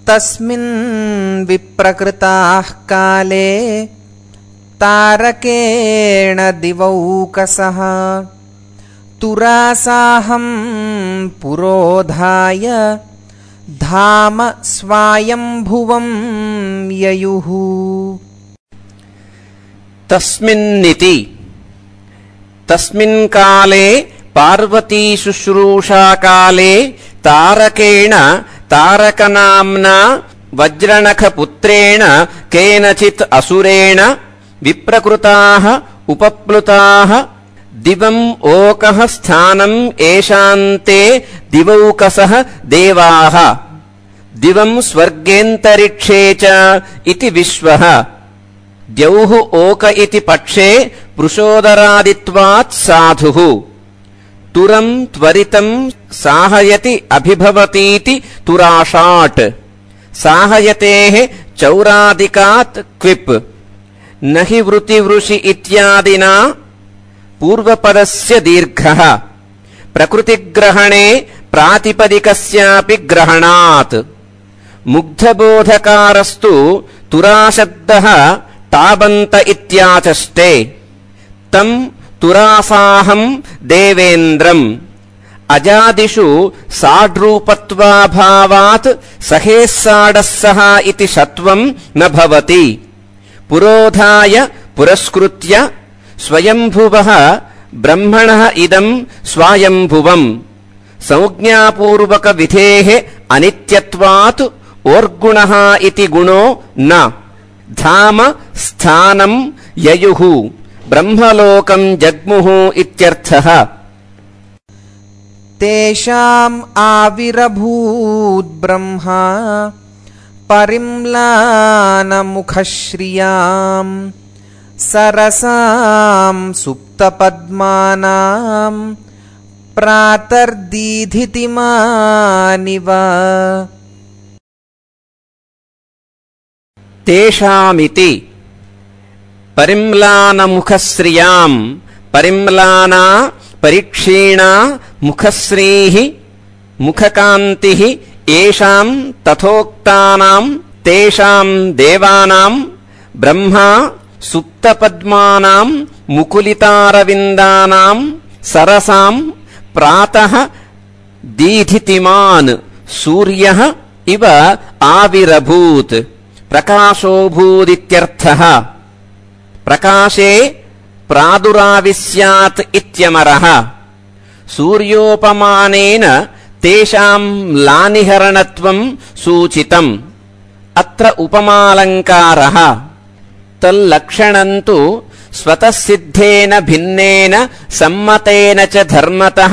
तस्मिन् विप्रकृताः काले तारकेण दिवौकसः तुरासाहं पुरोधाय धाम स्वायंभुवं ययुः। तस्मिन्निति तस्मिन् काले पार्वती शुश्रूषा काले तारकेण तारकनाम्ना वज्रनखपुत्रेण केनचित् असुरेण विप्रकृताः उपप्लुताः दिवम् ओकः स्थानम् येषान्ते दिवौकसः देवाः दिवम् स्वर्गेऽन्तरिक्षे च इति विश्वः द्यौः ओक इति पक्षे पृषोदरादित्वात् साधुः तुरम् त्वरितम् साहयति अभिभवतीति तुराषाट् साहयतेः चौरादिकात् क्विप् न हि वृतिवृषि इत्यादिना पूर्वपदस्य दीर्घः प्रकृतिग्रहणे प्रातिपदिकस्यापि ग्रहणात् मुग्धबोधकारस्तु तुराशब्दः ताबन्त इत्याचष्टे तम् तुरासाहं देवेन्द्रम् अजादिषु साड्रूपत्वाभावात् सहेस्साडस्सः इति षत्वम् न भवति पुरोधाय पुरस्कृत्य स्वयंभुवः ब्रह्मणः इदम् स्वायंभुवम् संज्ञापूर्वक विधेः अनित्यत्वात् ओर्गुणः इति गुणो न धाम स्थानम् ययुः ब्रह्मलोकम् जग्मुः इत्यर्थः। तेषाम् आविरभूत् ब्रह्मा परिम्लानमुखश्रियाम् सरसाम् सुप्तपद्मानाम् प्रातर्दीधितिमानिव। तेषामिति परिम्लानमुखश्रियाम् परिम्लाना परिक्षीणा मुखश्रीः मुखकान्तिः येषाम् तथोक्तानाम् तेषाम् देवानाम् ब्रह्मा सुप्तपद्मानाम् मुकुलितारविन्दानाम् सरसाम् प्रातः दीधितिमान् सूर्यः इव आविरभूत् प्रकाशोऽभूदित्यर्थः। प्रकाशे प्रादुराविस्यात् इत्यमरः सूर्योपमानेन तेषाम् म्लानिहरणत्वम् सूचितम् अत्र उपमालङ्कारः तल्लक्षणम् तु स्वतः सिद्धेन भिन्नेन सम्मतेन च धर्मतः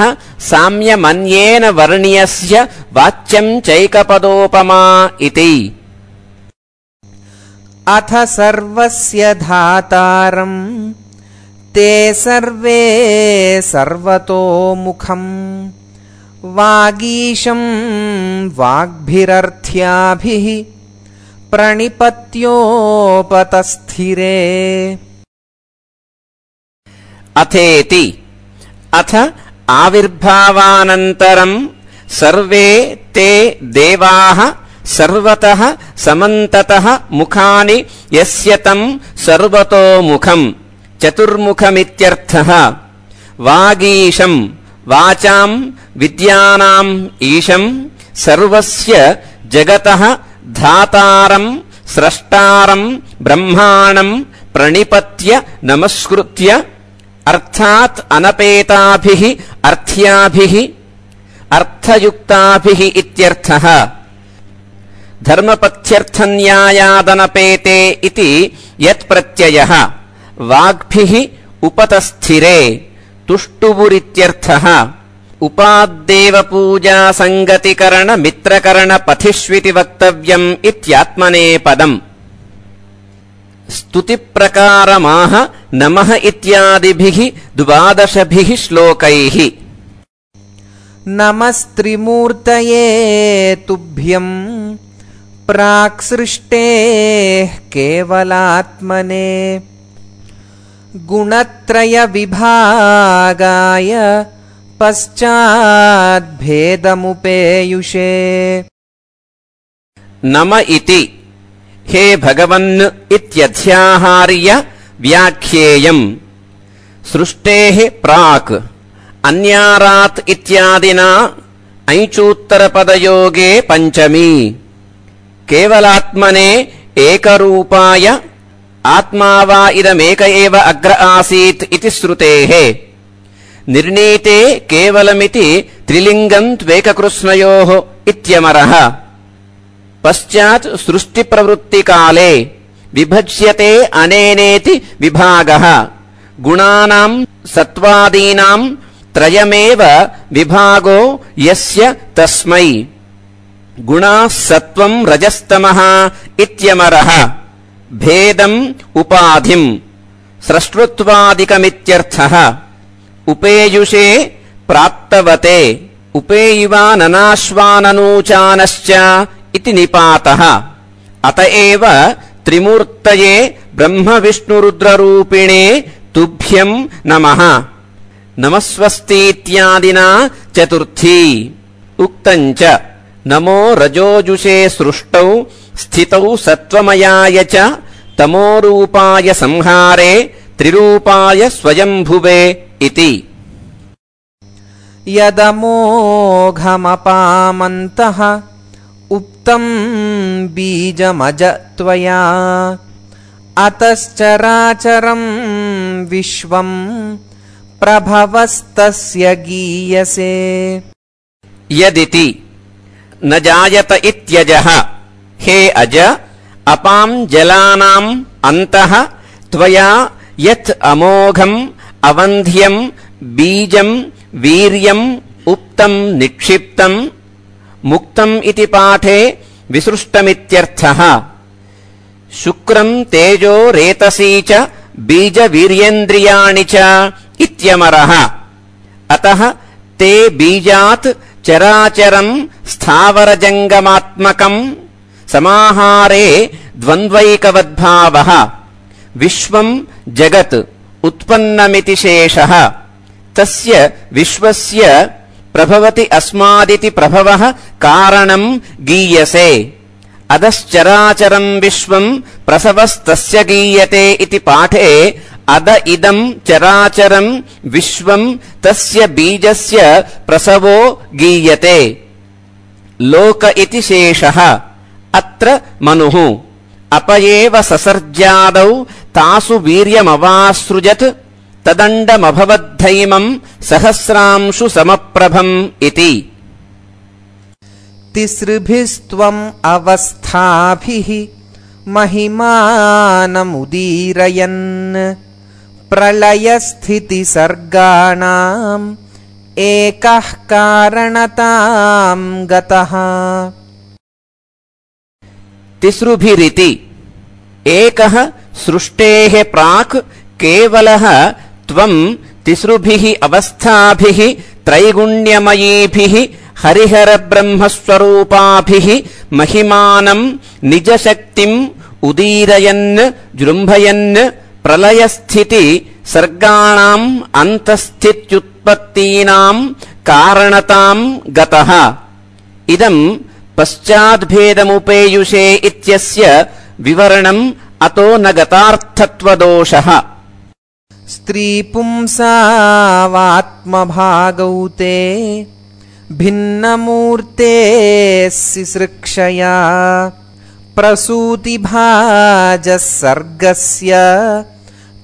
साम्यमन्येन वर्ण्यस्य वाच्यम् चैकपदोपमा इति। अथ सर्वस्य धातारम् ते सर्वे सर्वतोमुखम् वागीशम् वाग्भिरर्थ्याभिः प्रणिपत्योपतस्थिरे। अथेति अथ आविर्भावानन्तरम् सर्वे ते देवाः सर्वतः समन्ततः मुखानि यस्य तम् सर्वतोमुखम् चतुर्मुखमित्यर्थः। वागीशम् वाचाम् विद्यानाम् ईशम् सर्वस्य जगतः धातारम् स्रष्टारम् ब्रह्माणम् प्रणिपत्य नमस्कृत्य अर्थात् अनपेताभिः अर्थ्याभिः अर्थयुक्ताभिः इत्यर्थः। धर्मपथ्यर्थन्यायादनपेते इति यत्प्रत्ययः वाग्भिः उपतस्थिरे तुष्टुवुरित्यर्थः। उपाद्देवपूजा संगतिकरण मित्रकरण पथिष्विति वक्तव्यम् इत्यात्मनेपदम्। स्तुतिप्रकारमाह नमः इत्यादिभिः 12 श्लोकैः। नमस्त्रिमूर्तये तुभ्यम् प्राक्सृष्टेः केवलात्मने गुणत्रयविभागाय पश्चाद्भेदमुपेयुषे। नम इति हे भगवन् इत्यध्याहार्य व्याख्येयम् सृष्टेः प्राक् अन्यारात् इत्यादिना ऐचूत्तरपदयोगे पञ्चमी केवलात्मने एकरूपाय आत्मा वा इदमेक एव अग्र आसीत् इति श्रुतेः निर्णीते केवलमिति त्रिलिङ्गम् त्वेककृष्णयोः इत्यमरः पश्चात् सृष्टिप्रवृत्तिकाले विभज्यते अनेनेति विभागः गुणानाम् सत्त्वादीनाम् त्रयमेव विभागो यस्य तस्मै गुणाः सत्त्वम् रजस्तमः इत्यमरः भेदम् उपाधिम् स्रष्टृत्वादिकमित्यर्थः उपेयुषे प्राप्तवते उपेयिवाननाश्वाननूचानश्च इति निपातः अत एव त्रिमूर्तये ब्रह्मविष्णुरुद्ररूपिणे तुभ्यम् नमः नमस्वस्तीत्यादिना चतुर्थी उक्तम् च नमो रजोजुषे सृष्टौ स्थितौ सत्त्वमयाय च तमोरूपाय संहारे त्रिरूपाय स्वयंभुवे इति यदमोघमपामन्तः उक्तम् बीजमज त्वया अतश्चराचरम् विश्वम् प्रभवस्तस्य गीयसे यदिति न जायत इत्यजः हे अज अपाम् जलानाम् अन्तः त्वया यत् अमोघम् अवन्ध्यम् बीजम् वीर्यम् उक्तम् निक्षिप्तम् मुक्तम् इति पाठे विसृष्टमित्यर्थः शुक्रम् तेजो रेतसी च बीजवीर्येन्द्रियाणि च इत्यमरः अतः ते बीजात् चराचरम् स्थावरजङ्गमात्मकम् समाहारे द्वन्द्वैकवद्भावः विश्वम् जगत् उत्पन्नमिति शेषः तस्य विश्वस्य प्रभवति अस्मादिति प्रभवः कारणम् गीयसे अदश्चराचरम् विश्वम् प्रसवस्तस्य गीयते इति पाठे अद इदम् चराचरम् विश्वम् तस्य बीजस्य प्रसवो गीयते लोक इति शेषः अत्र मनुः अपयेव ससर्जादौ तासु वीर्यमवासृजत् तदण्डमभवद्धैमम् सहस्रांशु समप्रभम् इति तिसृभिस्त्वम् अवस्थाभिः महिमानमुदीरयन् प्रलयस्थितिसर्गाणाम् एकः कारणताम् गतः तिसृभिरिति एकः सृष्टेः प्राक् केवलः त्वम् तिसृभिः अवस्थाभिः त्रैगुण्यमयीभिः हरिहरब्रह्मस्वरूपाभिः महिमानम् निजशक्तिम् उदीरयन् जृम्भयन् प्रलयस्थिति सर्गाणाम् अन्तःस्थित्युत्पत्तीनाम् कारणताम् गतः इदम् पश्चाद्भेदमुपेयुषे इत्यस्य विवरणम् अतो न गतार्थत्वदोषः स्त्रीपुंसावात्मभागौ ते भिन्नमूर्ते सिसृक्षया प्रसूतिभाजः सर्गस्य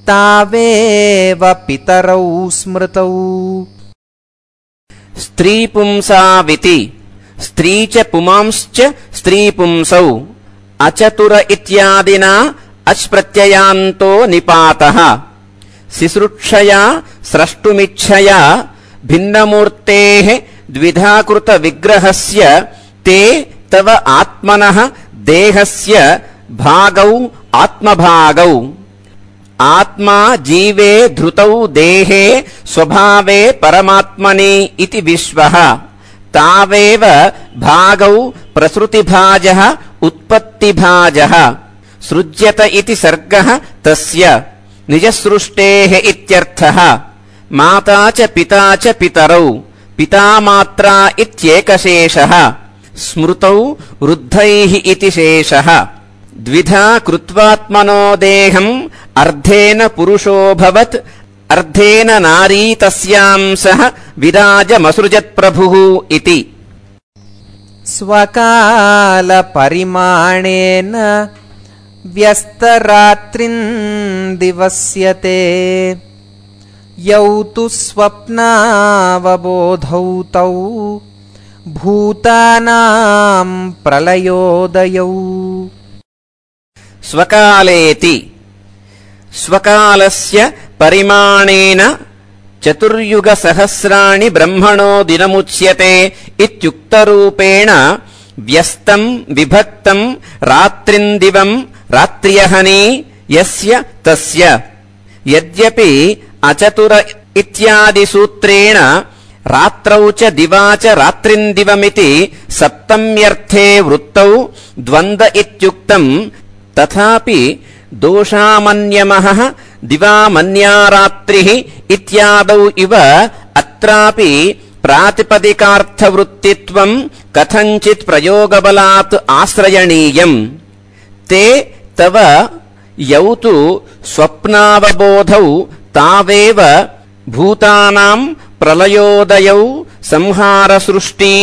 तावेव पितरौ स्मृतौ स्त्रीपुंसाविति स्त्री च पुमांश्च स्त्रीपुंसौ अचतुर इत्यादिना अच्प्रत्ययान्तो निपातः सिसृक्षया स्रष्टुमिच्छया भिन्नमूर्तेः द्विधाकृतविग्रहस्य ते तव आत्मनः देहस्य भागौ आत्मभागौ आत्मा जीवे धृतौ देहे स्वभावे परमात्मनि इति विश्वः तावेव भागौ प्रसृतिभाजः उत्पत्तिभाजः सृज्यत इति सर्गः तस्य निजसृष्टेः इत्यर्थः माता च पिता च पितरौ पितामात्रा इत्येकशेषः स्मृतौ वृद्धैः इति शेषः द्विधा कृत्वात्मनो देहम् अर्धेन पुरुषोऽभवत् अर्धेन नारी तस्यां सह विराजमसृजत्प्रभुः इति स्वकालपरिमाणेन व्यस्तरात्रिन्दिवस्यते यौ तु स्वप्नावबोधौ तौ भूतानां प्रलयोदयौ स्वकालेति स्वकालस्य परिमाणेन चतुर्युगसहस्राणि ब्रह्मणो दिनमुच्यते इत्युक्तरूपेण व्यस्तं विभक्तं रात्रिन्दिवं रात्र्यहनि यस्य तस्य यद्यपि अचतुर इत्यादिसूत्रेण रात्रौ च दिवा च रात्रिन्दिवमिति सप्तम्यर्थे वृत्तौ द्वन्द्व इत्युक्तम् तथापि दोषामन्यमः दिवामन्या रात्रिः इत्यादौ इव अत्रापि प्रातिपदिकार्थवृत्तित्वम् कथञ्चित् प्रयोगबलात् आश्रयणीयम् ते तव यौ तु स्वप्नावबोधौ तावेव भूतानाम् प्रलयोदयौ संहारसृष्टी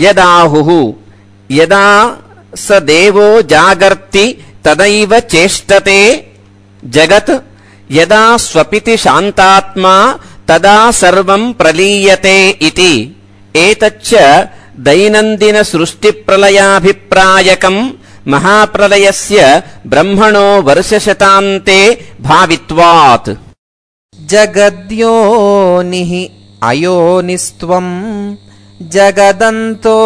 यदाहुः यदा स देवो जागर्ति तदैव चेष्टते जगत् यदा स्वपिति शान्तात्मा तदा सर्वम् प्रलीयते इति एतच्च दैनन्दिनसृष्टिप्रलयाभिप्रायकम् महाप्रलयस्य ब्रह्मणो वर्षशतान्ते भावित्वात् जगद्योनिः अयोनिस्त्वम् जगदन्तो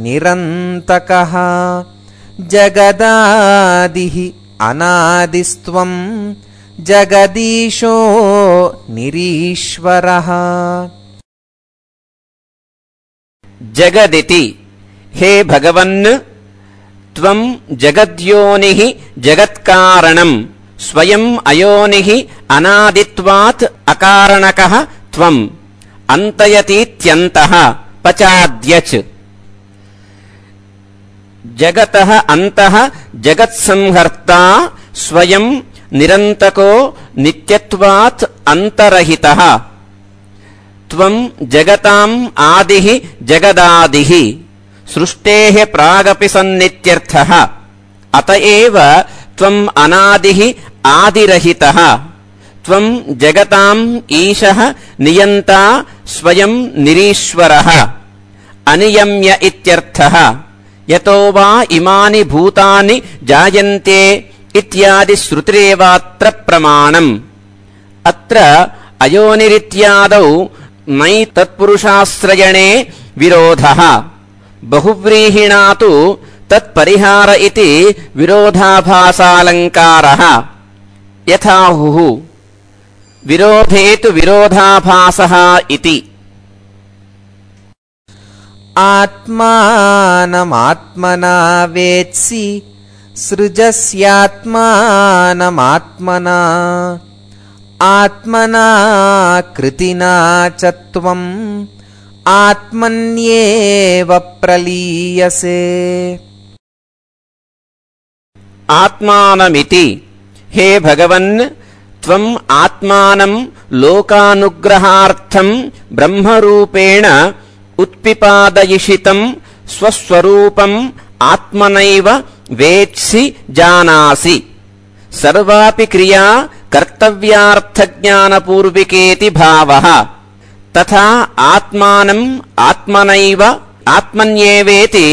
निरन्तकः जगदादिः अनादिस्त्वम् जगदीशो निरीश्वरः जगदिति हे भगवन् त्वम् जगद्योनिः जगत्कारणम् स्वयम् अयोनिः अनादित्वात् अकारणकः त्वम् अन्तयतीत्यन्तः पचाद्यच् जगतः अन्तः जगत्संहर्ता स्वयम् निरन्तको नित्यत्वात् अन्तरहितः त्वम् जगताम् आदिः जगदादिः सृष्टेः प्रागपि सन्नित्यर्थः अत एव त्वम् अनादिः आदिरहितः त्वम् जगताम् ईशः नियन्ता स्वयम् निरीश्वरः अनियम्य इत्यर्थः यतो वा इमानि भूतानि जायन्ते इत्यादि श्रुतिरेवात्र प्रमाणम् अत्र अयोनिरित्यादौ नै तत्पुरुषाश्रयणे विरोधः बहुव्रीहिणा तु तत्परिहार इति विरोधाभासालङ्कारः यथाहुः विरोधे तु विरोधाभासः इति आत्मानमात्मना वेत्सि सृजस्यात्मानमात्मना आत्मना कृतिना च त्वम् आत्मन्येव प्रलीयसे आत्मानमिति हे भगवन् त्वम् आत्मानम् लोकानुग्रहार्थम् ब्रह्मरूपेण उत्पिपादयिषितम् स्वस्वरूपम् आत्मनैव वेत्सि जानासि सर्वापि क्रिया कर्तव्यार्थज्ञानपूर्विकेति भावः तथा आत्मानम् आत्मनैव आत्मन्येवेति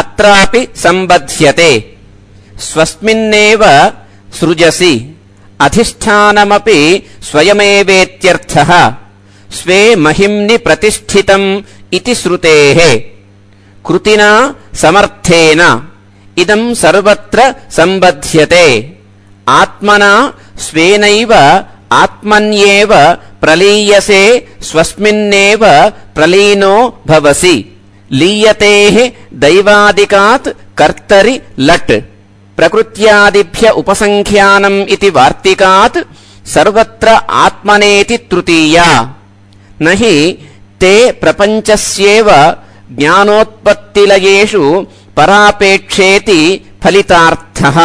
अत्रापि सम्बध्यते स्वस्मिन्नेव सृजसि अधिष्ठानमपि स्वयमेवेत्यर्थः स्वे महिम्नि प्रतिष्ठितम् इति श्रुतेः कृतिना समर्थेन इदम् सर्वत्र सम्बध्यते आत्मना स्वेनैव आत्मन्येव प्रलीयसे स्वस्मिन्नेव प्रलीनो भवसि लीयतेः दैवादिकात् कर्तरि लट् प्रकृत्यादिभ्य उपसङ्ख्यानम् इति वार्तिकात् सर्वत्र आत्मनेति तृतीया न हि ते प्रपञ्चस्येव ज्ञानोत्पत्तिलयेषु परापेक्षेति फलितार्थः।